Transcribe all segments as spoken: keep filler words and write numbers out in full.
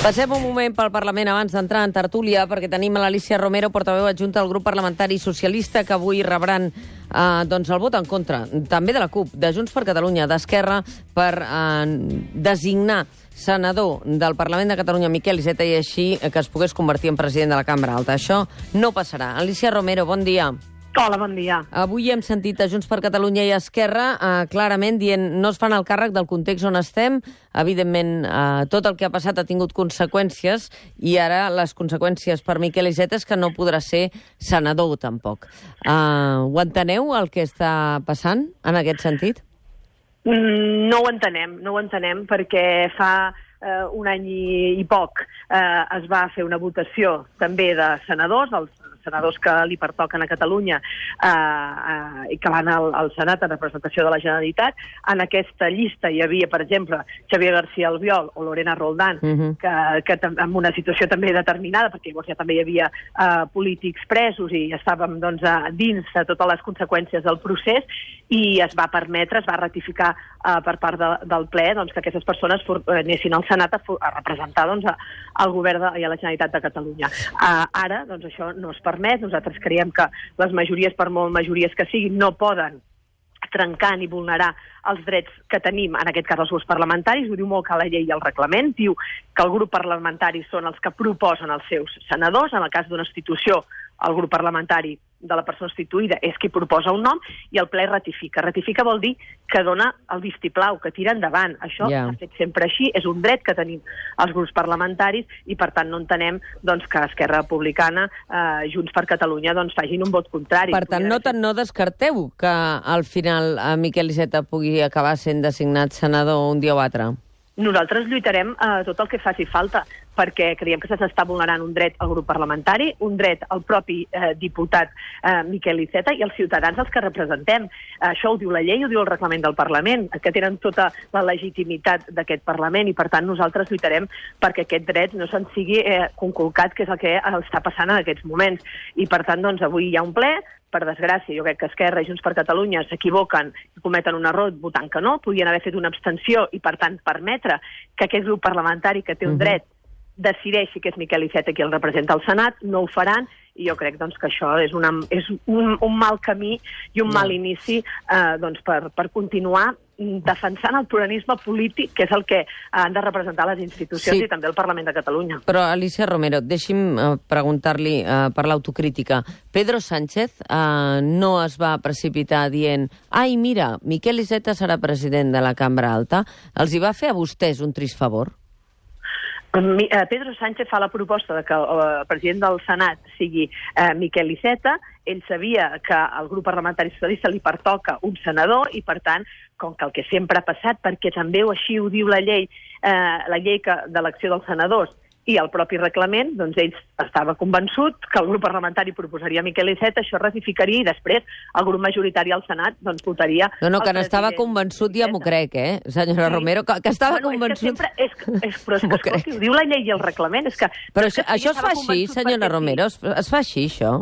Passem un moment pel Parlament abans d'entrar en tertúlia, perquè tenim a l'Alícia Romero, portaveu adjunta del grup parlamentari socialista, que avui rebran eh, doncs el vot en contra, també de la CUP, de Junts per Catalunya, d'Esquerra, per eh, designar senador del Parlament de Catalunya, Miquel Iceta, i així que es pogués convertir en president de la Cambra Alta. Això no passarà. Alícia Romero, bon dia. Hola, bon dia. Avui hem sentit a Junts per Catalunya i Esquerra eh, clarament dient no es fan el càrrec del context on estem. Evidentment, eh, tot el que ha passat ha tingut conseqüències i ara les conseqüències per Miquel Iceta és que no podrà ser senador tampoc. Eh, ho enteneu, el que està passant en aquest sentit? Mm, no ho entenem, no ho entenem perquè fa eh, un any i, i poc eh, es va fer una votació també de senadors, els senadors que li pertoquen a Catalunya eh, eh, i que van al, al Senat en representació de la Generalitat. En aquesta llista hi havia, per exemple, Xavier García Albiol o Lorena Roldán, uh-huh. que, que en una situació també determinada, perquè llavors ja també hi havia eh, polítics presos i estàvem doncs, a, dins de totes les conseqüències del procés, i es va permetre, es va ratificar eh, per part de, del ple doncs, que aquestes persones for, eh, anessin al Senat a, a representar doncs, a, al govern de, i a la Generalitat de Catalunya. Eh, ara, doncs, això no es permet. Nosaltres creiem que les majories, per molt majories que siguin, no poden trencar ni vulnerar els drets que tenim, en aquest cas els grups parlamentaris. Ho diu molt que la llei i el reglament, diu que el grup parlamentari són els que proposen els seus senadors. En el cas d'una institució, el grup parlamentari de la persona instituïda és qui proposa un nom i el ple ratifica. Ratifica vol dir que dona el vistiplau, que tira endavant. Això yeah. s'ha fet sempre així, és un dret que tenim els grups parlamentaris i per tant no entenem doncs, que Esquerra Republicana, eh, Junts per Catalunya, doncs, facin un vot contrari. Per tant, no, no descarteu que al final eh, Miquel Iceta pugui acabar sent designat senador un dia o altre? Nosaltres lluitarem eh, tot el que faci falta, perquè creiem que s'està vulnerant un dret al grup parlamentari, un dret al propi eh, diputat eh, Miquel Iceta i als ciutadans als que representem. Eh, això ho diu la llei, ho diu el reglament del Parlament, que tenen tota la legitimitat d'aquest Parlament, i per tant nosaltres lluitarem perquè aquest dret no se'n sigui eh, conculcat, que és el que està passant en aquests moments. I per tant, doncs, avui hi ha un ple. Per desgràcia, jo crec que Esquerra i Junts per Catalunya s'equivoquen i cometen un error votant que no, podien haver fet una abstenció i, per tant, permetre que aquest grup parlamentari que té un dret decideixi que és Miquel Iceta qui el representa al Senat. No ho faran i jo crec doncs, que això és, una, és un, un mal camí i un mal inici eh, doncs, per, per continuar defensant el pluralisme polític, que és el que han de representar les institucions sí. i també el Parlament de Catalunya. Però, Alícia Romero, deixi'm uh, preguntar-li uh, per l'autocrítica. Pedro Sánchez uh, no es va precipitar dient ai, mira, Miquel Iceta serà president de la Cambra Alta. Els hi va fer a vostès un trist favor? Pedro Sánchez fa la proposta de que el president del Senat sigui eh, Miquel Iceta. Ell sabia que al grup parlamentari socialista li pertoca un senador i, per tant, com que el que sempre ha passat, perquè també així ho diu la llei, eh, la llei que, d'elecció dels senadors i el propi reglament, doncs ell estava convençut que el grup parlamentari proposaria Miquel Iceta, això ratificaria i després el grup majoritari al Senat doncs, votaria... No, no, que n'estava convençut ja m'ho crec, eh, senyora sí. Romero, que, que estava bueno, convençut... És que sempre, és, és, però és que, escolti, ho diu la llei i el reglament, és que... Però això, això es fa així, senyora Romero, es, es fa així, això?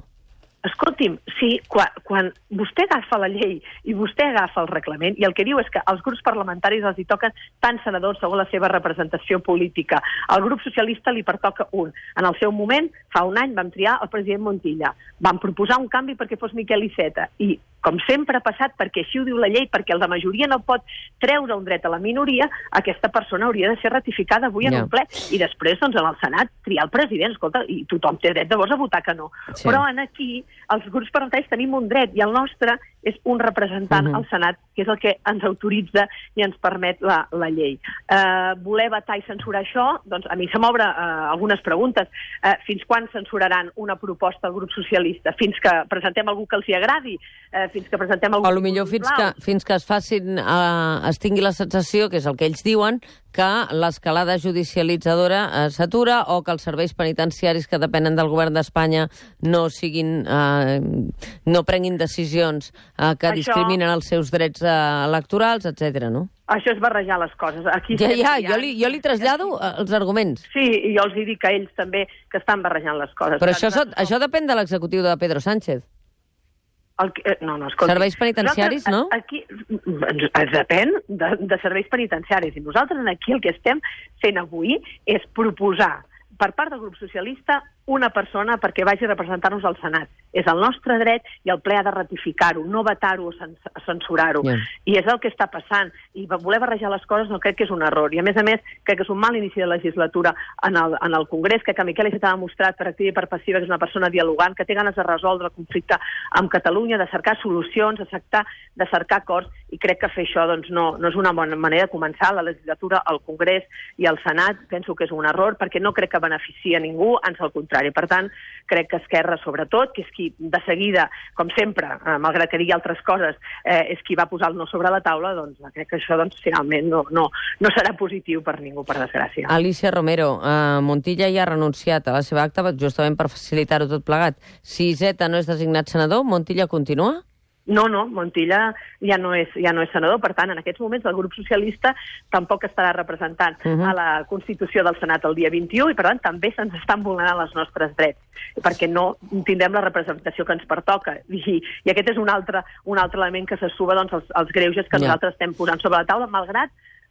Escolti'm, sí, quan, quan vostè agafa la llei i vostè agafa el reglament, i el que diu és que als grups parlamentaris els hi toquen tant senadors segons la seva representació política. Al grup socialista li pertoca un. En el seu moment, fa un any, vam triar el president Montilla. Vam proposar un canvi perquè fos Miquel Iceta. I, com sempre ha passat, perquè així ho diu la llei, perquè el de majoria no pot treure un dret a la minoria, aquesta persona hauria de ser ratificada avui en yeah. un ple. I després, doncs, en el Senat, triar el president. Escolta, i tothom té dret llavors a votar que no. Sí. Però en aquí els grups parlamentaris tenim un dret i el nostre és un representant uh-huh. al Senat, que és el que ens autoritza i ens permet la, la llei. Uh, voler vetar i censurar això, doncs a mi se m'obre uh, algunes preguntes. Uh, fins quan censuraran una proposta del grup socialista? Fins que presentem algú que els hi agradi? Uh, fins que presentem algú... O potser fins que, fins que es facin, uh, es tingui la sensació, que és el que ells diuen, que l'escalada judicialitzadora uh, s'atura o que els serveis penitenciaris que depenen del govern d'Espanya no siguin, uh, no prenguin decisions uh, que Això... discriminen els seus drets uh, electorals, etcètera, no? Això és barrejar les coses. Aquí ja, ja, jo li, jo li trasllado els arguments. Sí, i jo els dic a ells també que estan barrejant les coses. Però això, no... això depèn de l'executiu de Pedro Sánchez. El, eh, no, no, escolti. Serveis penitenciaris, no? Aquí, es depèn de, de serveis penitenciaris. I nosaltres aquí el que estem fent avui és proposar per part del grup socialista una persona perquè vagi a representar-nos al Senat. És el nostre dret i el ple ha de ratificar-ho, no vetar-ho o censurar-ho. Yeah. I és el que està passant. I voler barrejar les coses no crec que és un error. I a més a més, crec que és un mal inici de legislatura en el, en el Congrés, que Miquel Iceta ha demostrat per activa i per passiva que és una persona dialogant, que té ganes de resoldre el conflicte amb Catalunya, de cercar solucions, de cercar, de cercar acords, i crec que fer això doncs, no, no és una bona manera de començar la legislatura al Congrés i al Senat. Penso que és un error perquè no crec que beneficia a ningú, ans al contrari. Per tant, crec que Esquerra, sobretot, que és qui de seguida, com sempre, eh, malgrat que digui altres coses, eh, és qui va posar el no sobre la taula, doncs crec que això doncs, finalment no, no, no serà positiu per ningú, per desgràcia. Alicia Romero, eh, Montilla ja ha renunciat a la seva acta justament per facilitar-ho tot plegat. Si Iceta no és designat senador, Montilla continua? No, no, Montilla ja no és, ja no és senador, per tant, en aquests moments el grup socialista tampoc estarà representant uh -huh. a la Constitució del Senat el dia vint-i-u i, per tant, també se'ns estan vulnerant els nostres drets, perquè no tindrem la representació que ens pertoca. I, i aquest és un altre, un altre element que se suba doncs, als, als greuges que yeah. nosaltres estem posant sobre la taula, malgrat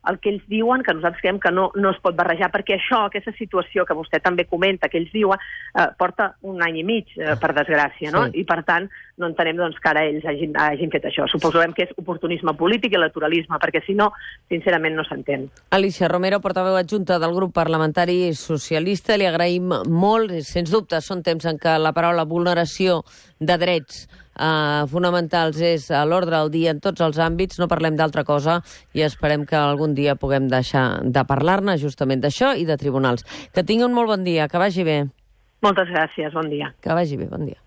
el que ells diuen, que nosaltres creiem que no, no es pot barrejar, perquè això, aquesta situació que vostè també comenta, que ells diuen, eh, porta un any i mig, eh, per desgràcia, no? Sí. I, per tant, no entenem doncs, que ara ells hagin, hagin fet això. Suposem que és oportunisme polític i electoralisme, perquè si no, sincerament, no s'entén. Alicia Romero, portaveu adjunta del grup parlamentari socialista, li agraïm molt, sens dubte, són temps en què la paraula vulneració de drets Uh, fonamentals és a l'ordre del dia en tots els àmbits, no parlem d'altra cosa i esperem que algun dia puguem deixar de parlar-ne justament d'això i de tribunals. Que tingui un molt bon dia, que vagi bé. Moltes gràcies, bon dia. Que vagi bé, bon dia.